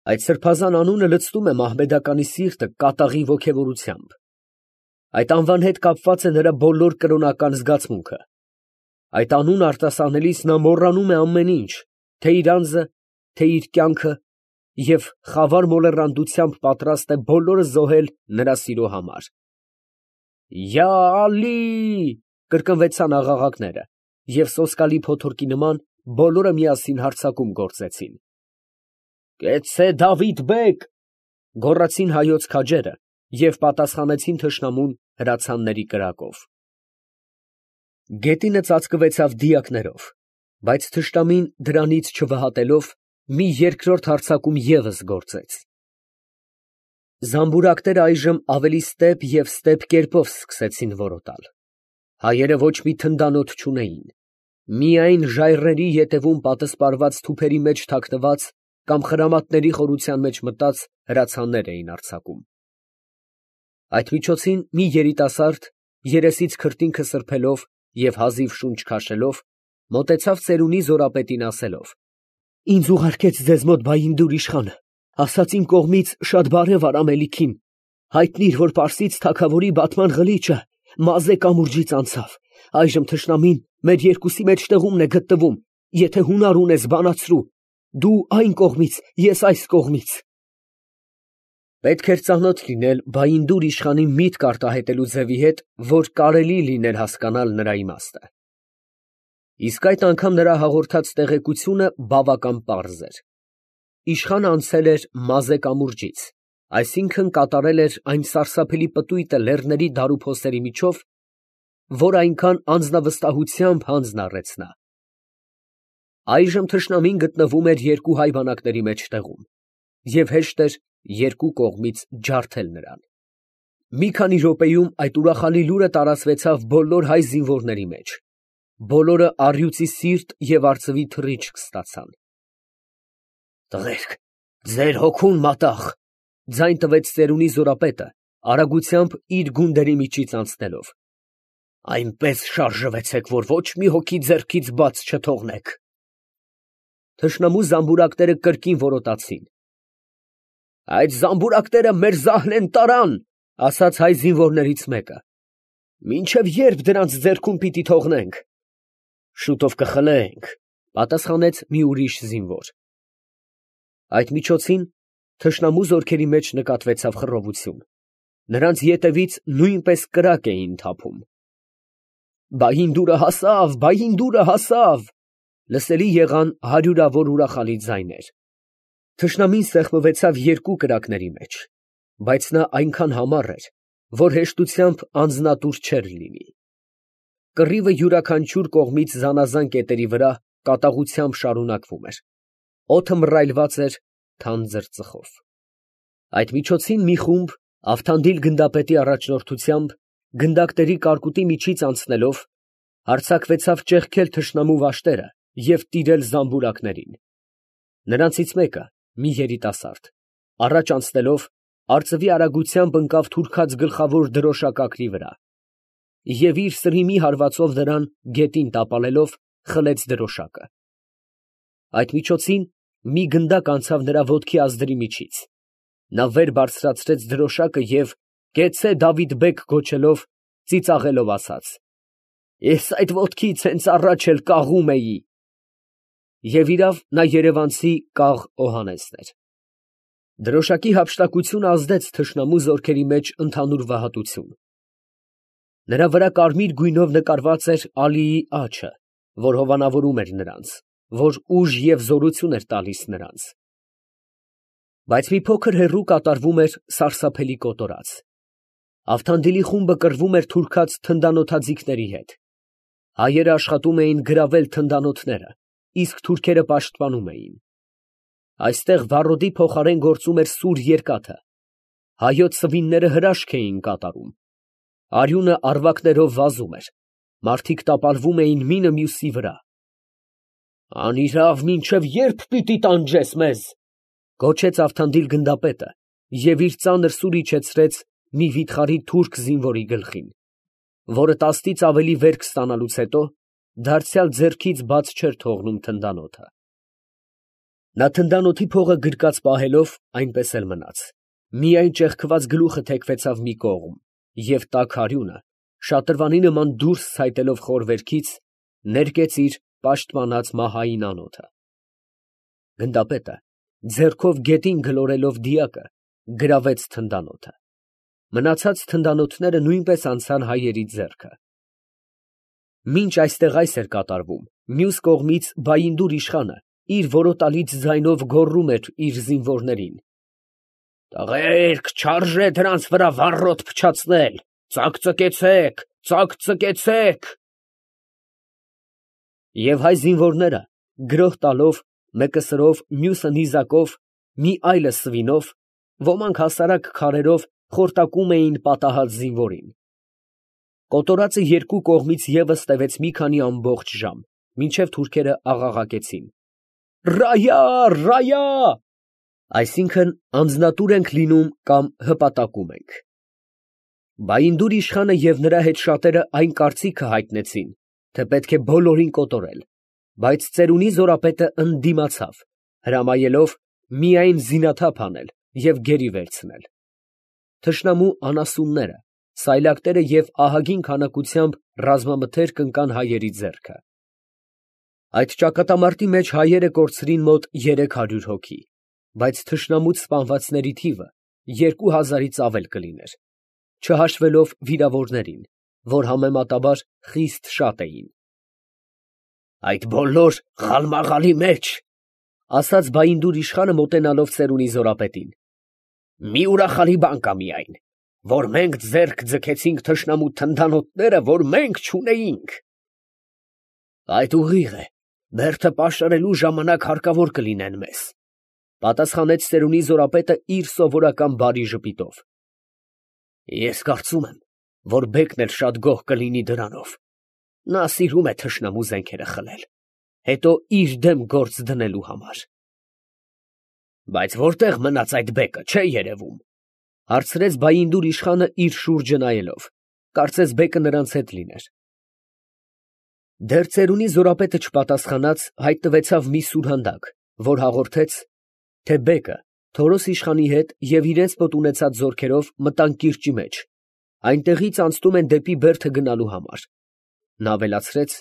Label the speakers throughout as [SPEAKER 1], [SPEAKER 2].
[SPEAKER 1] Այդ սրբազան անունը լցնում է մահմեդականի սիրտը կատաղի ոգևորությամբ։ Այդ անվան հետ կապված է նրա բոլոր կրոնական զգացմունքը։ Այդ անունը արտասանելիս նա մոռանում է ամեն ինչ, թե իր անձը, թե իր կյանքը, և խավար մոլեռանդությամբ պատրաստ է բոլորը զոհել նրա սիրո համար։ «Յա Ալի» կրկնվեցան աղաղակները, և սոսկալի փոթորկի նման բոլորը միասին հարձակում գործեցին։ «Կեցցե Դավիթ֊բեգ», գոռացին հայոց քաջերը և պատասխանեցին թշնամուն հրացանների կրակով։ Գետինը ծածկվեցավ դիակներով, բայց թշնամին դրանից չվհատելով, մի երկրորդ հարձակում ևս գործեց։ Զամբուրակները այժմ ավելի ստեպ և ստեպ կերպով սկսեցին որոտալ։ Հայերը ոչ մի թնդանոթ չունեին, միայն ժայռերի ետևում պատսպարված թուփերի մեջ թաքնված կամ խրամատների խորության մեջ մտած հրացաններ էին արձակում։ Այդ միջոցին մի երիտասարդ, երեսից քրտինքը սրբելով և հազիվ շունչ քաշելով, մոտեցավ ծերունի զորապետին ասելով. «Ինձ ուղարկեց ձեզ մոտ Բայնդուր իշխանը, ասաց իմ կողմից շատ բարև ար ամելիքին, հայտնիր, որ պարսից թագավորի բատման ղլիճը Մազե կամուրջից անցավ, այժմ թշնամին մեր երկուսի մեջտեղումն է գտնվում, եթե հունար ունես, բանացրու, դու այն կողմից, ես այս կողմից»։ Պետք էր ծանոթ լինել Բայնդուր իշխանի միտք արտահայտելու ձևի հետ, որ կարելի լիներ հասկանալ նրա իմաստը։ Իսկ այդ անգամ նրա հաղորդած տեղեկությունը բավական պարզ էր։ Իշխանը անցել էր Մազե կամուրջից, այսինքն կատարել էր այն սարսափելի պտույտը լեռների դարուփոսերի միջով, որ այնքան անձնավստահությամբ հանձն առեց նա։ Այժմ թշնամին գտնվում էր երկու հայ բանակների մեջտեղում, և հեշտ էր երկու կողմից ջարդել նրան։ Մի քանի րոպեում այդ ուրախալի լուրը տարածվեցավ բոլոր հայ զինվորների մեջ, բոլորը առյուծի սիրտ և արծվի թռիչք ստացան։ «Տղերք, ձեր հոգուն մատաղ», ֊ ձայն տվեց ծերունի զորապետը, արագությամբ իր գունդերի միջից անցնելով։ «Այնպես շարժվեցեք, որ ոչ մի հոգի ձեռքից բաց չթողնեք»։ Թշնամու զամբուրակները կրկին որոտացին։ «Այդ զամբուրակները մեր զահլեն տարան», ֊ ասաց հայ զինվորներից մեկը։ «Մինչև ե՞րբ դրանց ձեռքում պիտի թողնենք»։ «Շուտով կխլենք», ֊ պատասխանեց մի ուրիշ զինվոր։ Այդ միջոցին թշնամու զորքերի մեջ նկատվեցավ խռովություն. նրանց ետևից նույնպես կրակ էին թափում։ «Բայնդուրը հասավ, Բայնդուրը հասավ», լսելի եղան հարյուրավոր ուրախալի ձայներ։ Թշնամին սեղմվեցավ երկու կրակների մեջ, բայց նա այնքան համառ էր, որ հեշտությամբ անձնատուր չէր լինի։ Կռիվը յուրաքանչյուր կողմից զանազան կետերի վրա կատաղությամբ շարունակվում էր։ Օդը մռայլված էր թանձր ծխով։ Այդ միջոցին մի խումբ Ավթանդիլ գնդապետի առաջնորդությամբ գնդակների կարկուտի միջից անցնելով, հարձակվեցավ ճեղքել թշնամու վաշտերը և տիրել զամբուրակներին։ Նրանցից մեկը, մի երիտասարդ, առաջ անցնելով, արծվի արագությամբ ընկավ թուրքած գլխավոր դրոշակակրի վրա և իր սրիմի հարվածով նրան գետին տապալելով, խլեց դրոշակը։ Այդ միջոցին մի գնդակ անցավ նրա ոտքի ազդրի միջից։ Նա վեր բարձրացրեց դրոշակը և, «Կեցցե Դավիթ֊բեգ» գոչելով, ծիծաղելով ասաց. «Ես այդ ոտքից հենց առաջ էլ կաղում էի»։ Եվ իրավ, նա երևանցի կաղ Օհաննեսն էր։ Դրոշակի հափշտակությունը ազդեց թշնամու զորքերի մեջ ընդհանուր վհատություն։ Նրա վրա կարմիր գույնով նկարված էր Ալիի աչը, որ հովանավորում էր նրանց, որ ուժ և զորություն էր տալիս նրանց։ Բայց մի փոքր հեռու կատարվում էր սարսափելի կոտորած։ Ավթանդիլի խումբը կռվում էր թուրքած թնդանոթաձիգների հետ։ Հայերը աշխատում էին գրավել թնդանոթները, իսկ թուրքերը պաշտպանում էին։ Այստեղ վառոդի փոխարեն գործում էր սուր երկաթը։ Հայոց սվինները հրաշք էին կատարում։ Արյունը առվակներով վազում էր, մարդիկ տապալվում էին մինը մյուսի վրա։ «Անիրավ, մինչև ե՞րբ պիտի տանջես մեզ», ֊ գոչեց Ավթանդիլ գնդապետը և իր ծանր սուրը իջեցրեց մի վիթխարի թուրք զինվորի գլխին, որը տասնից ավելի վերք ստանալուց հետո դարձյալ ձեռքից բաց չէր թողնում թնդանոթը։ Նա թնդանոթի փողը գրկած պահելով այնպես էլ մնաց, միայն ճեղքված գլուխը թեքվեցավ մի կողմ, և տաք արյունը, շատրվանի նման դուրս ցայտելով խորվերքից, ներկեց իր պաշտպանած մահային անոթը։ Գնդապետը, ձեռքով գետին գլորելով դիակը, գրավեց թնդանոթը։ Մնացած թնդանոթները նույնպես անցան հայերի ձեռքը։ Մինչ այստեղ այս էր կատարվում, մյուս կողմից Բայինդուր իշխանը իր որոտալից ձայնով գոռում էր իր զինվորներին. «Տղերք, չարժե դրանց վրա վառոդ փչացնել, ծակծկեցեք, ծակծկեցեք»։ Եվ հայ զինվորները գրոհ տալով, մեկը սրով, մյուսը նիզակով, մի այլը սվինով, ոմանք հասարակ քարերով խորտակում էին պատահած զինվորին։ Կոտորածը երկու կողմից ևս տևեց մի քանի ամբողջ ժամ, մինչև թուրքերը աղաղակեցին. «Ռայա, ռայա», այսինքն անձնատուր ենք լինում կամ հպատակում ենք։ Բայինդուր իշխանը և նրա հետ շատերը այն կարծիքը հայտնեցին, թե պետք է բոլորին կոտորել, բայց ծերունի զորապետը ընդդիմացավ, հրամայելով միայն զինաթափ անել և գերի վերցնել։ Թշնամու անասունները, սայլակները և ահագին քանակությամբ ռազմամթերք ընկան հայերի ձեռքը։ Այդ ճակատամարտի մեջ հայերը կորցրին մոտ 300 հոգի, բայց թշնամուց սպանվածների թիվը 2000-ից ավել կլիներ, չհաշվելով վիրավորներին, որ համեմատաբար խիստ շատ էին։ «Այդ բոլոր խալմաղալի մեջ, ֊ ասաց Բայինդուր իշխանը մոտենալով ծերունի զորապետին, ֊ մի ուրախալի բան կա միայն, որ մենք ձեռք ձգեցինք թշնամու թնդանոթները, որ մենք չունեինք»։ «Այդ ուղիղ է, բերդը պաշարելու ժամանակ հարկավոր կլինեն մեզ, ֊ պատասխանեց ծերունի զորապետը իր սովորական բարի ժպիտով։ Ես կարծում եմ, որ բեկն էլ շատ գոհ կլինի դրանով. նա սիրում է թշնամու զենքերը խլել, հետո իր դեմ գործ դնելու համար։ Բայց որտե՞ղ մնաց այդ բեկը, չէ երևում, ֊ հարցրեց Բայինդուր իշխանը իր շուրջը նայելով, կարծես բեկը նրանց հետ լիներ։ Դեռ ծերունի զորապետը չպատասխանած, հայտնվեցավ մի սուրհանդակ, որ հաղորդեց, թե բեկը Թորոս իշխանի հետ և իրենց մոտ ունեցած զորքերով մտան կիրճի մեջ, այնտեղից անցնում են դեպի Բերդը գնալու համար։ Նա ավելացրեց,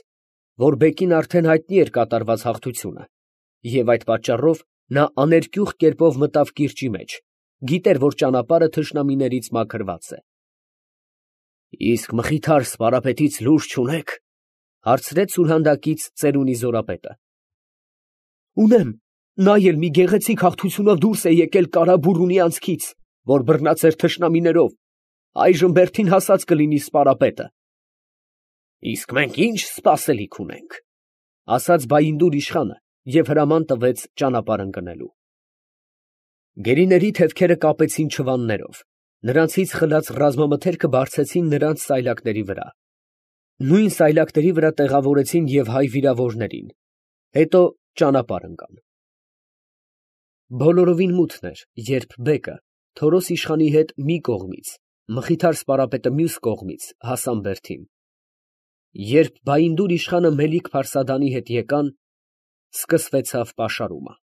[SPEAKER 1] որ բեկին արդեն հայտնի էր կատարված հաղթությունը, և այդ պատճառով նա աներկյուղ կերպով մտավ կիրճի մեջ, գիտեր, որ ճանապարհը թշնամիներից մաքրված է։ Իսկ Մխիթար սպարապետից լուր չունե՞ք, ֊ հարցրեց սուրհանդակից ծերունի զորապետը։ Ունեմ, նա էլ մի գեղեցիկ հաղթությունով դուրս է եկել Կարաբուրունի անցքից, որ բռնած էր թշնամիներով, այժմ Բերդին հասած կլինի սպարապետը։ Իսկ մենք ինչ սպասելիք ունենք, ֊ ասաց Բայինդուր իշխանը և հրաման տվեց ճանապարհ ընկնելու։ Գերիների թևքերը կապեցին չվաններով, նրանցից խլած ռազմամթերքը բարձեցին նրանց սայլակների վրա։ Նույն սայլակների վրա տեղավորեցին և հայ վիրավորներին, հետո ճանապարհ ընկան։ Բոլորովին մութն էր, երբ բեկը Թորոս իշխանի հետ մի կողմից, Մխիթար սպարապետը մյուս կողմից հասան Բերդին։ Երբ Բայինդուր իշխանը Մելիք Փարսադանի հետ եկան, սկսվեցավ պաշարումը։